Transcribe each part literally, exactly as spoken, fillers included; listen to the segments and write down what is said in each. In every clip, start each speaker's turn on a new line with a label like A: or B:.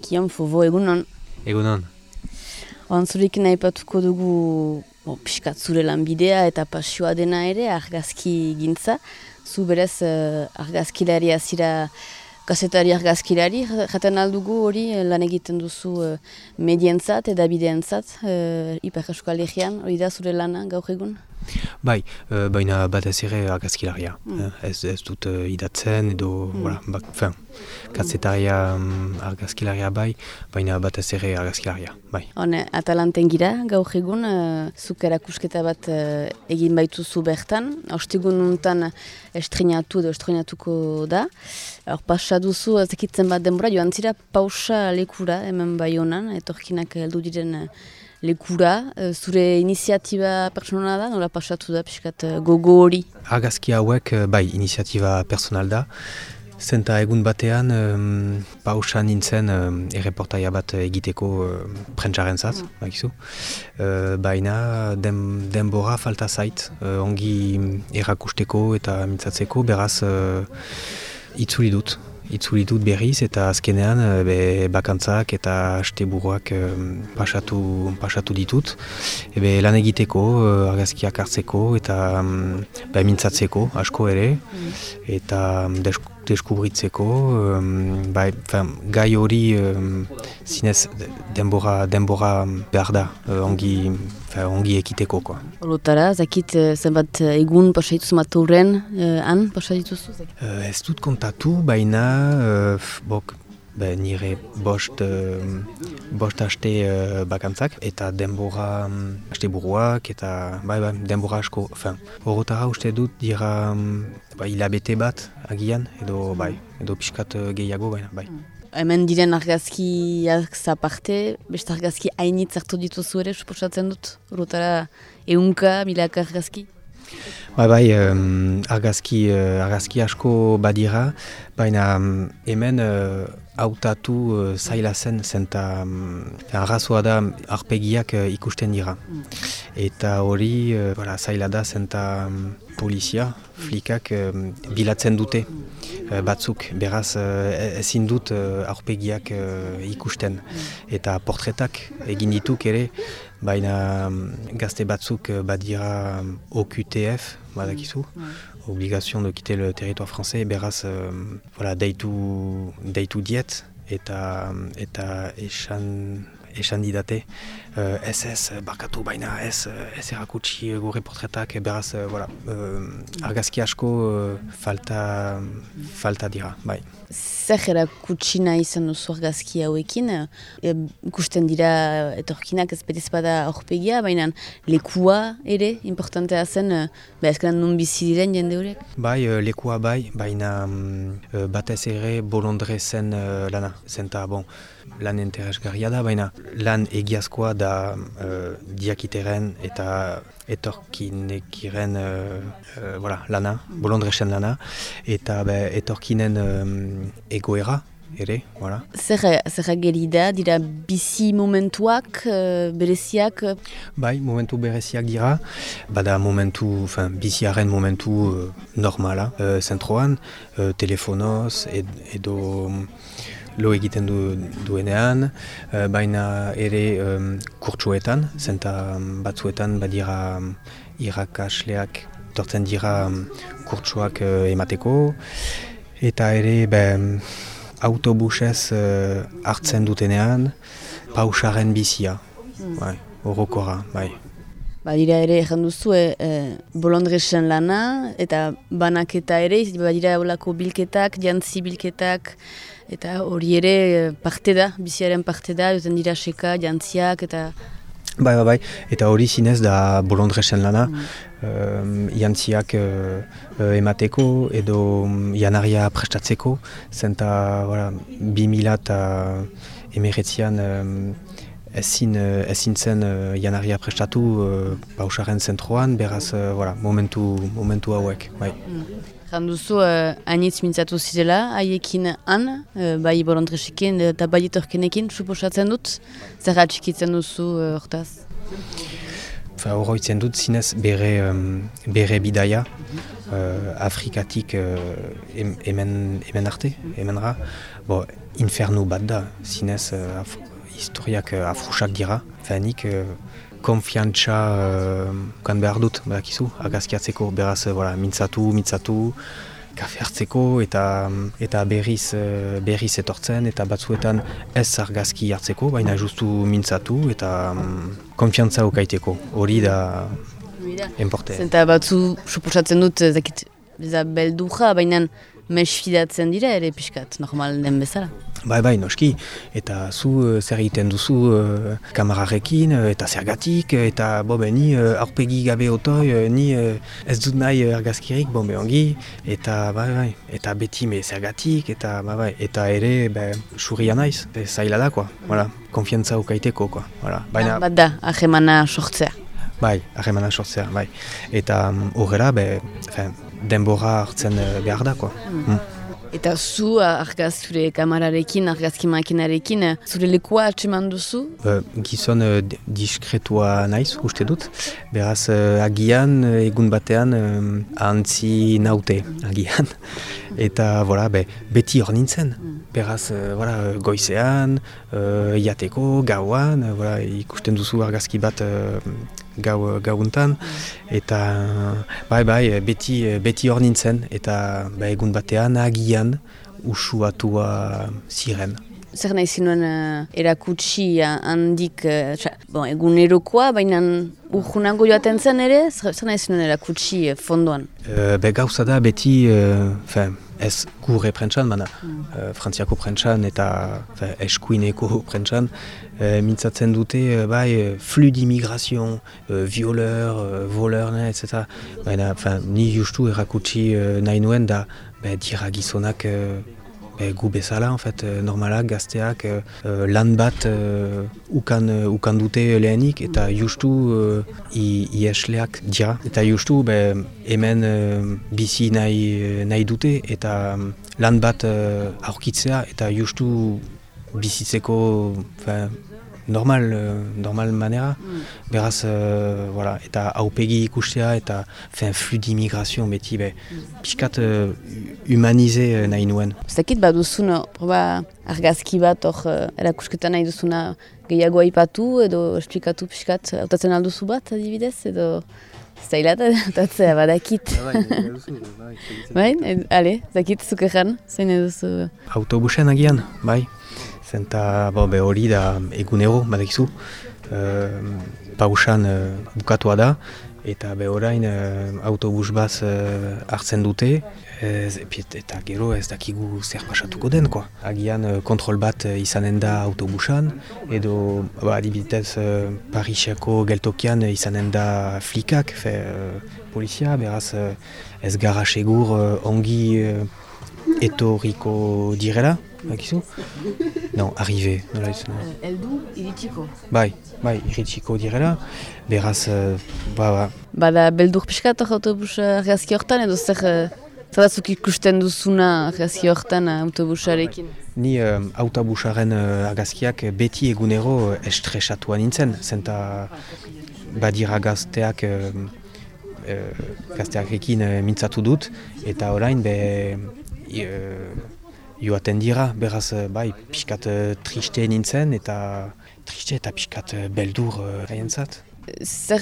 A: Kion Fovo egunon.
B: Egunon.
A: Ontzurik nahi patuko dugu bo, piskat zure lanbidea eta pasioa dena ere argazki gintza. Zu berez uh, argazkilaria zira, kazetari argazkilari, jaten aldugu hori lan egiten duzu uh, medientzat eta bideentzat, uh, Ipar Euskal Herrian, hori da zure lana gaur egun?
B: Bai, uh, baina batez ere argazkilaria.
A: Mm.
B: Ez, ez dut uh, idatzen edo, mm. voilà, bak, fin, kazetaria um, argazkilaria bai, baina batez ere argazkilaria, bai.
A: Hone, Atalanten gira, gaur egun, uh, zuk erakusketa bat uh, egin baituzu bertan, ostegun untan estrenatu edo estrenatuko da. Hor, pasa duzu, ezekitzen bat denbora, joan zira pausa lekura, hemen bai honan, etorkinak heldu diren uh, lekura, uh, zure iniziatiba personala da, nola pasatu da, piskat uh, gogo hori?
B: Argazki hauek, bai, iniziatiba personal da. Zenta egun batean, um, pausa nintzen um, erreportaia bat egiteko um, prentsaren zat, mm. bakizu. Uh, baina den, denbora falta zait, uh, ongi errakusteko eta mintzatzeko, beraz uh, itzuli dut. Itzuli dut berriz eta azkenean be, bakantzak eta asteburuak um, pasatu, pasatu ditut. Ebe, lan egiteko, uh, argazkiak hartzeko eta um, be, mintzatzeko asko ere. Mm. Eta um, desk deskubritzeko, um, bai, fin, gai hori um, zinez denbora, denbora behar da, uh, ongi, fin, ongi ekiteko.
A: Horotara, zakit zenbat egun pasaituz matauren, uh, han pasaituzu?
B: Uh, ez dut kontatu, baina uh, bok, be, nire bost, uh, bost haste uh, bakantzak eta denbora um, haste buruak eta bai, bai, denbora asko. Horotara uste dut dira um, bai, hilabete bat agian edo bai, edo pixkat uh, gehiago baina bai.
A: Hemen diren argazkiak zaparte, beste argazki hainitz hartu dituzu ere, suposatzen dut? Horotara ehunka, milaka argazki?
B: Bai, bai, um, argazki, uh, argazki asko badira, baina um, hemen uh, hautatu uh, zaila zen, zenta um, arrazoa da arpegiak uh, ikusten dira. Mm. Eta hori uh, voilà, zaila da zenta um, polizia, flikak um, bilatzen dute uh, batzuk, beraz uh, ezin dut uh, aurpegiak uh, ikusten. Mm. Eta portretak egin dituk ere, baina um, gazte batzuk uh, badira um, O Q T F, badakizu, mm. obligation de quitter le territoire français, beraz uh, voilà, deitu, deitu diet eta, eta esan, esan didate uh, ez ez barkatu baina ez, ez erakutsi gure portretak, beraz uh, voilà, uh, argazki asko uh, falta, falta dira, bai.
A: Zer erakutsi nahi izan duzu argazki hauekin, e, ikusten dira etorkinak ez betez bada aurpegia, baina lekua ere, importantea zen, ba ezkenan non bizi diren jende horiek?
B: Bai, lekua bai, baina um, batez ere bolondrezen uh, lana, zenta, bon, lan interesgarria da, baina lan egiazkoa da uh, diakiteren eta etorkinekiren uh, uh, voilà, lana, bolondrezen lana, eta be, etorkinen um, egoera ere, voilà.
A: Zer, zer geri da, dira bizi momentuak, uh, bereziak?
B: Bai, momentu bereziak dira, bada momentu, fin, biziaren momentu uh, normala, uh, zentroan, uh, telefonoz ed, edo lo egiten du, duenean, uh, baina ere um, kurtsuetan, zenta batzuetan badira um, irakasleak tortzen dira um, kurtsuak uh, emateko, eta ere ben, autobusez uh, hartzen dutenean, pausaren bizia, mm. bai, horokora, bai.
A: Badira ere egin duzu, e, e, bolondresen lana, eta banaketa ere, badira olako bilketak, jantzi bilketak, eta hori ere parte da, biziaren parte da, duten dira seka, jantziak, eta...
B: Bai, bai, bai, eta hori zinez da bolondresen lana, mm. um, jantziak uh, emateko edo um, janaria prestatzeko, zenta, voilà, bi mila eta emeretzian um, ezin, ezin zen uh, janaria prestatu uh, pausaren zentroan, beraz, uh, voilà, momentu, momentu hauek, bai.
A: Mm. Janduzu, uh, hainitz mintzatu zirela, haiekin han, uh, bai bolondresekin eta bai etorkenekin, suposatzen dut, zer atxikitzen duzu uh, hortaz?
B: Horroitzen dut zinez bere, um, bere bidaia, uh, Afrikatik uh, hemen, hemen arte, hemenra, bo, infernu bat da, zinez uh, af, historiak uh, afrusak dira. Feanik, uh, konfiantza uh, kan behar dut, badakizu, argazkiatzeko, beraz, uh, voilà, mintzatu, mintzatu, kafe hartzeko eta eta berriz berriz etortzen eta batzuetan ez argazki hartzeko, baina justu mintzatu eta um, konfiantza ukaiteko. Hori da enporte.
A: Zenta batzu suposatzen dut zakit beldurra, baina mesfidatzen dira ere pixkat, normal den bezala.
B: Bai, bai, noski. Eta zu uh, zer egiten duzu uh, kamararekin, uh, eta zergatik, eta bo, be, ni uh, aurpegi gabe otoi, uh, ni uh, ez dut nahi uh, argazkirik, bon, be, ongi, eta bai, bai, eta beti me zergatik, eta bai, bai, eta ere, be, surria naiz, be, zaila da, koa, voilà, konfiantza ukaiteko, koa, voilà. Baina,
A: bat da, ahemana sortzea.
B: Bai, ahemana sortzea, bai. Eta horrela, um, be, denbora hartzen uh, behar da, koa. Mm. Mm.
A: Eta zu argaz zure kamararekin, argazki makinarekin, zure lekua atseman duzu?
B: Uh, gizon uh, diskretua naiz, uste dut. Beraz, uh, agian, uh, egun batean, um, antzi naute, agian. Eta, voilà, be, beti hor nintzen. Beraz, uh, voilà, goizean, uh, iateko, gauan, uh, voilà, ikusten duzu argazki bat uh, gau, gauntan. Eta, bai, bai, beti, beti hor nintzen. Eta, ba, egun batean, agian, usuatua ziren.
A: Zer nahi zinuen uh, erakutsi handik, uh, txa, bon, egunerokoa, baina urgunago joaten zen ere, zer, zer nahi zinuen erakutsi uh, fondoan?
B: Uh, be gauza da beti, uh, fin, ez gure prentsan, baina mm. uh, frantziako prentsan eta fin, eskuineko prentsan, uh, mintzatzen dute, uh, bai, flux d'immigration, uh, violeur, uh, voleur, et cetera. Baina, fin, ni justu erakutsi uh, nahi nuen da, be, dira gizonak, uh, Be, gu bezala, en fait, normalak, gazteak, uh, lan bat uh, ukan, uh, ukan dute lehenik, eta justu uh, iesleak dira. Eta justu be, hemen uh, bizi nahi, nahi dute, eta um, lan bat uh, aurkitzea, eta justu bizitzeko fin, normal, uh, normal manera. Mm. Beraz, uh, voilà, eta haupegi ikustea, eta fin, flux d'immigration beti, be, mm. piskat uh, humanize uh, nahi nuen.
A: Zakit baduzun, proba argazki bat hor uh, erakusketa nahi duzuna gehiago aipatu edo esplikatu piskat, hautatzen alduzu bat adibidez, edo zaila da hautatzea badakit. Bai, ale, zakit zukeran, zein eduzu?
B: Autobusen agian, bai. Zenta be hori da egunero, badakizu, uh, pausan uh, bukatua da, eta be orain uh, autobus baz uh, hartzen dute, ez, eta gero ez dakigu zer pasatuko den, koa. Agian uh, kontrol bat uh, izanen da autobusan, edo ba, adibidez uh, Pariseko geltokian uh, izanen da flikak, fe, uh, polizia, beraz uh, ez gara segur uh, ongi uh, etorriko direla. Bakizu? Non, arrive, nola izan.
A: Eldu, iritsiko.
B: Bai, bai, iritsiko direla, beraz, uh, ba, ba.
A: Bada, beldur pixkat autobus argazki hortan, edo zer, zaratzuk ikusten duzuna argazki hortan autobusarekin?
B: Ni uh, autobusaren uh, argazkiak beti egunero estresatua nintzen, zenta badira gazteak, uh, uh, gazteakekin uh, mintzatu dut, eta orain be... Uh, joaten dira, beraz, bai, pixkat triste nintzen, eta triste eta pixkat beldur haientzat.
A: Zer,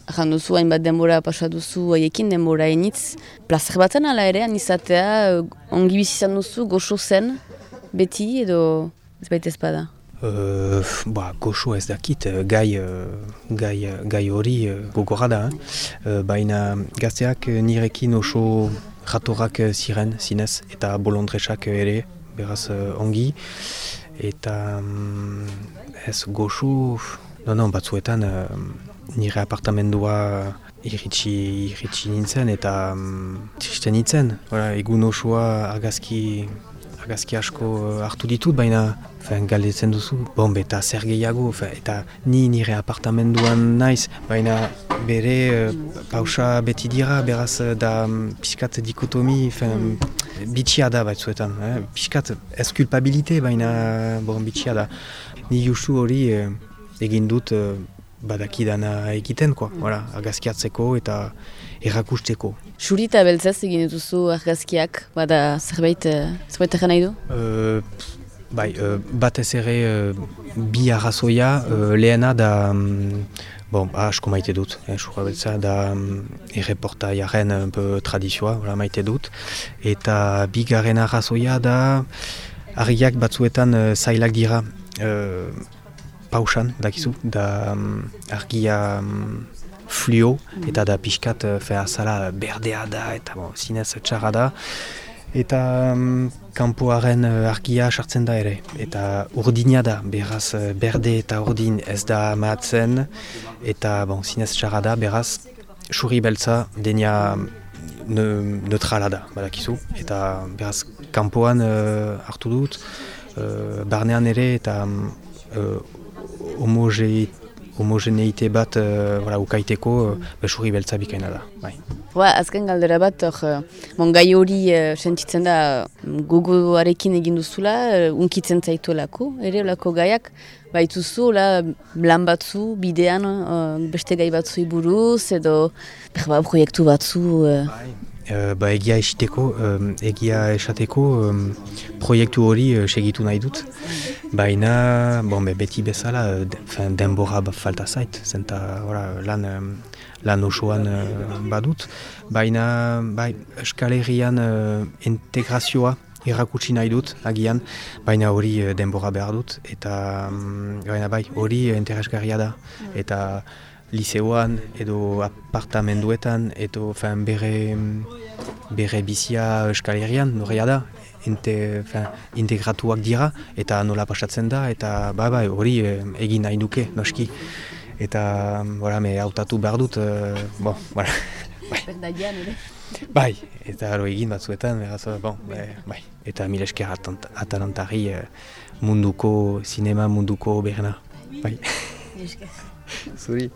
A: erran duzu, hainbat denbora pasaduzu haiekin, denbora hainitz, plazer batzen ala ere, anizatea, ongi bizizan duzu, goxo zen, beti, edo ez baita ezpada?
B: Uh, ba, goxo ez dakit, gai, gai, gai hori gogorra da, eh? Baina gazteak nirekin oso jatorrak ziren, zinez, eta bolondresak ere, beraz ongi, eta um, ez goxo, no, no, batzuetan uh, nire apartamendua iritsi, iritsi nintzen, eta um, triste nintzen, voilà, egun osoa argazki, argazki asko hartu ditut, baina fen, galdetzen duzu, bon, eta zer gehiago, fen, eta ni nire apartamenduan naiz, baina bere uh, pausa beti dira, beraz da um, piskat dikotomi, fen, bitxia da batzuetan, eh? Piskat ez kulpabilite, baina bon, bitxia da. Ni justu hori uh, egin dut uh, badakidana egiten, koa, mm. voilà, argazkiatzeko eta errakusteko.
A: Xuri eta beltzaz egin dituzu argazkiak, bada zerbait, zerbait egin nahi du?
B: Uh, bai, uh, batez ere uh, bi arrazoia, uh, lehena da, um, bon, asko maite dut, eh, xurra beltza, da um, erreportaiaren un peu tradizioa, voilà, maite dut, eta bigarren arrazoia da, argiak batzuetan uh, zailak dira, uh, pausan, dakizu, da um, argia um, fluo, eta da pixkat uh, fe azala berdea da, eta bon, zinez txarra da, eta um, kanpoaren uh, argia sartzen da ere, eta urdina da, beraz uh, berde eta urdin ez da mahatzen, eta bon, zinez txarra da, beraz xurri beltza denia ne, neutrala da, badakizu, eta beraz kanpoan uh, hartu dut, uh, barnean ere eta um, uh, Homoge, homogeneite bat uh, voilà, ukaiteko uh, besurri beltza bikaina da. Bai.
A: Ba, azken galdera bat, or, bon, gai hori uh, sentitzen da gogoarekin egin duzula, uh, unkitzen zaituelako, ere olako gaiak, baituzu, la, lan batzu, bidean, uh, beste gai batzu buruz, edo berba, proiektu batzu. Uh.
B: Bai. Uh, ba, egia esiteko, um, egia esateko um, proiektu hori uh, segitu nahi dut. Baina, bon, be, beti bezala, de, fin, denbora falta zait, zenta ora, lan, um, lan osoan uh, badut. Baina, bai, Euskal Herrian uh, integrazioa errakutsi nahi dut, agian, baina hori uh, denbora behar dut, eta um, baina bai, hori uh, interesgarria da, eta liseoan edo apartamenduetan edo fin, bere, bere bizia Euskal Herrian norrea da, Inte, fin, integratuak dira eta nola pasatzen da eta bai bai hori eh, egin nahi duke noski eta voilà, me hautatu behar dut uh, bon, voilà. bai. bai, eta haro egin batzuetan beraz, bon, bai, bai. Eta mil esker Atalantari uh, munduko, sinema munduko berna bai. Zuri.